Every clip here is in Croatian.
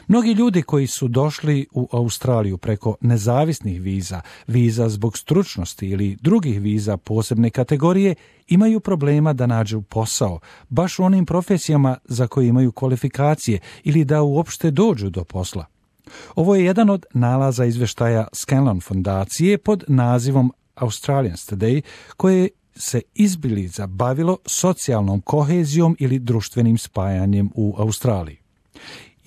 Mnogi ljudi koji su došli u Australiju preko nezavisnih viza, viza zbog stručnosti ili drugih viza posebne kategorije, imaju problema da nađu posao, baš u onim profesijama za koje imaju kvalifikacije ili da uopšte dođu do posla. Ovo je jedan od nalaza izvještaja Scanlon fondacije pod nazivom Australians Today, koje se izbiliza bavilo socijalnom kohezijom ili društvenim spajanjem u Australiji.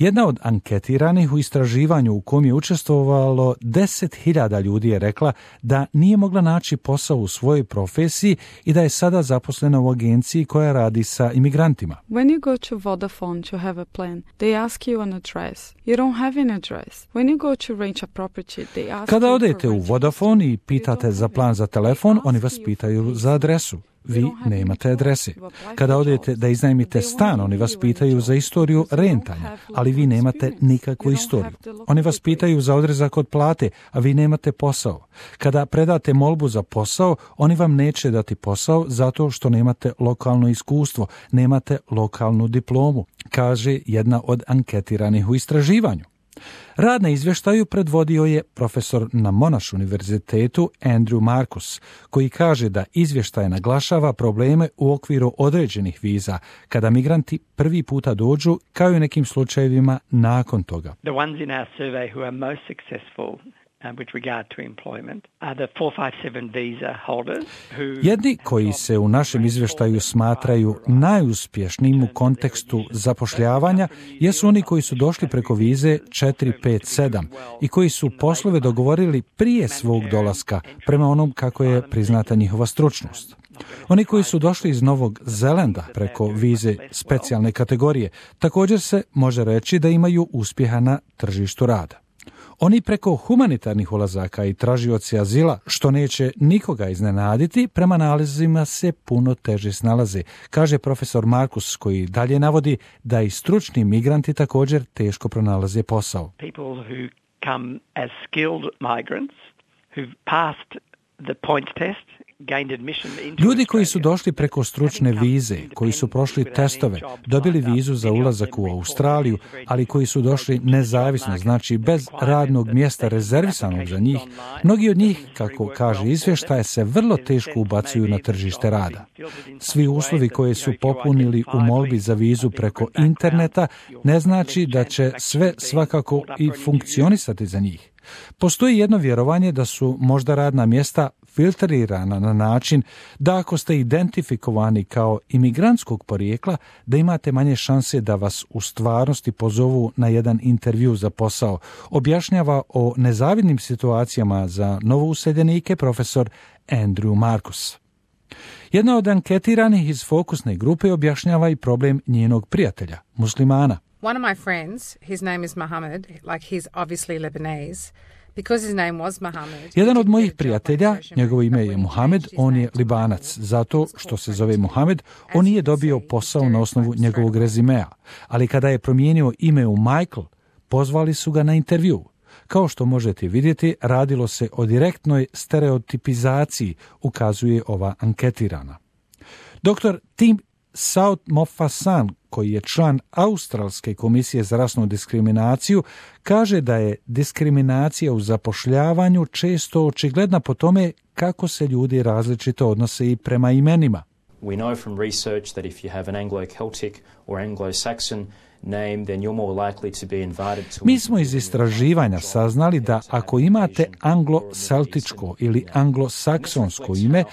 Jedna od anketiranih u istraživanju u kom je učestvovalo 10.000 ljudi je rekla da nije mogla naći posao u svojoj profesiji i da je sada zaposlena u agenciji koja radi sa imigrantima. When you go to Vodafone to have a plan, they ask you an address. You don't have an address. When you go to rent a property, they ask Kada odete u Vodafone i pitate za plan za telefon, oni vas pitaju za adresu. Vi nemate adrese. Kada odete da iznajmite stan, oni vas pitaju za istoriju rentanja, ali vi nemate nikakvu istoriju. Oni vas pitaju za odrezak od plate, a vi nemate posao. Kada predate molbu za posao, oni vam neće dati posao zato što nemate lokalno iskustvo, nemate lokalnu diplomu, kaže jedna od anketiranih u istraživanju. Rad na izvještaju predvodio je profesor na Monash univerzitetu Andrew Marcus, koji kaže da izvještaj naglašava probleme u okviru određenih viza, kada migranti prvi puta dođu, kao i u nekim slučajevima nakon toga. The ones in our survey who are most successful with regard to employment are the 457 visa holders who... Jedni koji se u našem izvještaju smatraju najuspješnijim u kontekstu zapošljavanja jesu oni koji su došli preko vize 457 i koji su poslove dogovorili prije svog dolaska prema onom kako je priznata njihova stručnost. Oni koji su došli iz Novog Zelanda preko vize specijalne kategorije također se može reći da imaju uspjeha na tržištu rada. Oni preko humanitarnih ulazaka i tražioci azila, što neće nikoga iznenaditi, prema nalazima se puno teže snalaze, kaže profesor Marcus, koji dalje navodi da i stručni migranti također teško pronalaze posao. People who come as skilled migrants who've passed the point test. Ljudi koji su došli preko stručne vize, koji su prošli testove, dobili vizu za ulazak u Australiju, ali koji su došli nezavisno, znači bez radnog mjesta rezervisanog za njih, mnogi od njih, kako kaže izvještaj, se vrlo teško ubacuju na tržište rada. Svi uslovi koje su popunili u molbi za vizu preko interneta ne znači da će sve svakako i funkcionisati za njih. Postoji jedno vjerovanje da su možda radna mjesta filtrirana na način da ako ste identifikovani kao imigrantskog porijekla, da imate manje šanse da vas u stvarnosti pozovu na jedan intervju za posao, objašnjava o nezavidnim situacijama za novouseljenike profesor Andrew Marcus. Jedna od anketiranih iz fokusne grupe objašnjava i problem njenog prijatelja, muslimana. One of my friends, his name is Mohammed, like he's obviously Lebanese. Because his name was Mohammed. Jedan od mojih prijatelja, njegovo ime je Mohamed, on je Libanac. Zato što se zove Mohamed, on nije dobio posao na osnovu njegovog rezimea. Ali kada je promijenio ime u Michael, pozvali su ga na intervju. Kao što možete vidjeti, radilo se o direktnoj stereotipizaciji, ukazuje ova anketirana. Dr. Tim Southmoffasan, koji je član Australske komisije za rasnu diskriminaciju, kaže da je diskriminacija u zapošljavanju često očigledna po tome kako se ljudi različito odnose i prema imenima. We know from research that if you have an Anglo-Celtic or Anglo-Saxon name, then you're more likely to be invited to... Mi smo iz istraživanja saznali da ako imate anglo-celtičko ili anglo-saksonsko ime,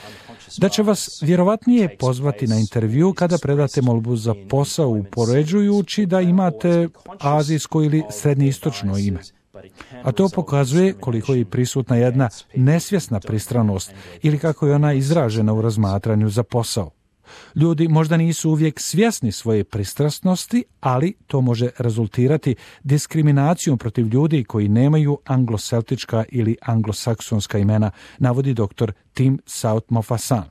da će vas vjerovatnije pozvati na intervju kada predate molbu za posao, upoređujući da imate azijsko ili srednjoistočno ime. A to pokazuje koliko je prisutna jedna nesvjesna pristranost ili kako je ona izražena u razmatranju za posao. Ljudi možda nisu uvijek svjesni svoje pristrasnosti, ali to može rezultirati diskriminacijom protiv ljudi koji nemaju angloceltička ili anglosaksonska imena, navodi dr. Tim Southmoffasan.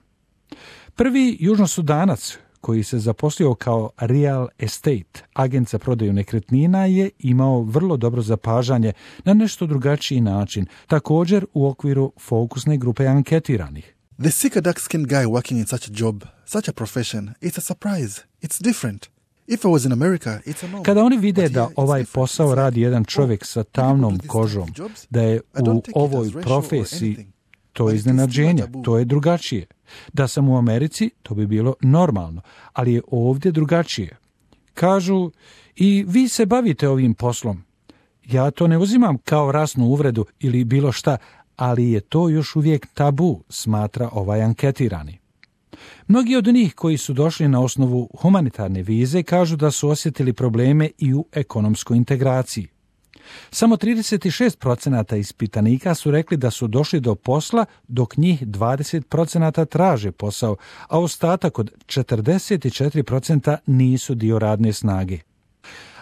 Prvi južnosudanac koji se zaposlio kao real estate, agent za prodaju nekretnina, je imao vrlo dobro zapažanje na nešto drugačiji način, također u okviru fokusne grupe anketiranih. They seek a dark-skinned guy working in such a job, such a profession. It's a surprise. It's different. Kada oni vide da ovaj posao radi jedan čovjek sa tamnom kožom, da je u ovoj profesiji, to je iznenađenje, to je drugačije. Da sam u Americi, to bi bilo normalno, ali je ovdje drugačije. Kažu, i vi se bavite ovim poslom. Ja to ne uzimam kao rasnu uvredu ili bilo šta, ali je to još uvijek tabu, smatra ovaj anketirani. Mnogi od njih koji su došli na osnovu humanitarne vize kažu da su osjetili probleme i u ekonomskoj integraciji. Samo 36% ispitanika su rekli da su došli do posla, dok njih 20% traže posao, a ostatak od 44% nisu dio radne snage.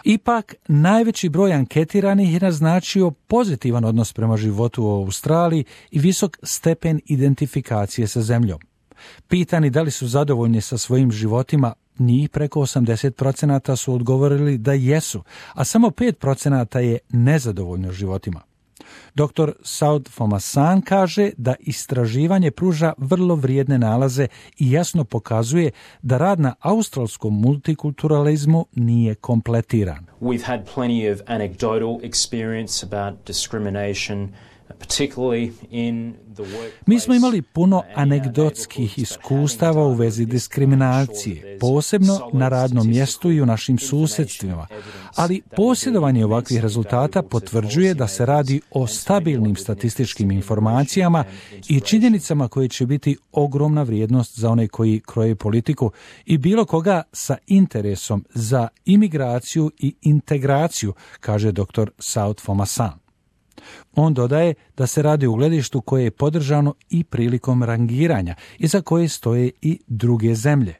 Ipak, najveći broj anketiranih je naznačio pozitivan odnos prema životu u Australiji i visok stepen identifikacije sa zemljom. Pitani da li su zadovoljni sa svojim životima, njih preko 80% su odgovorili da jesu, a samo 5% je nezadovoljno životima. Dr. Saud Fomasan kaže da istraživanje pruža vrlo vrijedne nalaze i jasno pokazuje da rad na australskom multikulturalizmu nije kompletiran. We've had plenty of anecdotal experience about discrimination, particularly in the workplace. Mi smo imali puno anegdotskih iskustava u vezi diskriminacije, posebno na radnom mjestu i u našim susjedstvima, ali posjedovanje ovakvih rezultata potvrđuje da se radi o stabilnim statističkim informacijama i činjenicama koje će biti ogromna vrijednost za one koji kroje politiku i bilo koga sa interesom za imigraciju i integraciju, kaže dr. Saud Fomasan. On dodaje da se radi o gledištu koje je podržano i prilikom rangiranja i za koje stoje i druge zemlje.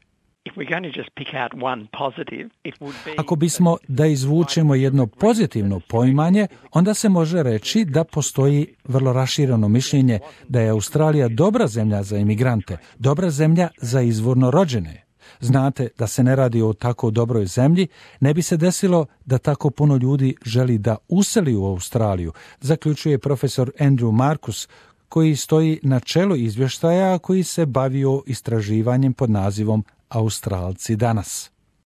Ako bismo da izvučemo jedno pozitivno poimanje, onda se može reći da postoji vrlo rašireno mišljenje da je Australija dobra zemlja za imigrante, dobra zemlja za izvorno rođene. Znate, da se ne radi o tako dobroj zemlji, ne bi se desilo da tako puno ljudi želi da useli u Australiju, zaključuje profesor Andrew Marcus, koji stoji na čelu izvještaja koji se bavio istraživanjem pod nazivom Australci danas.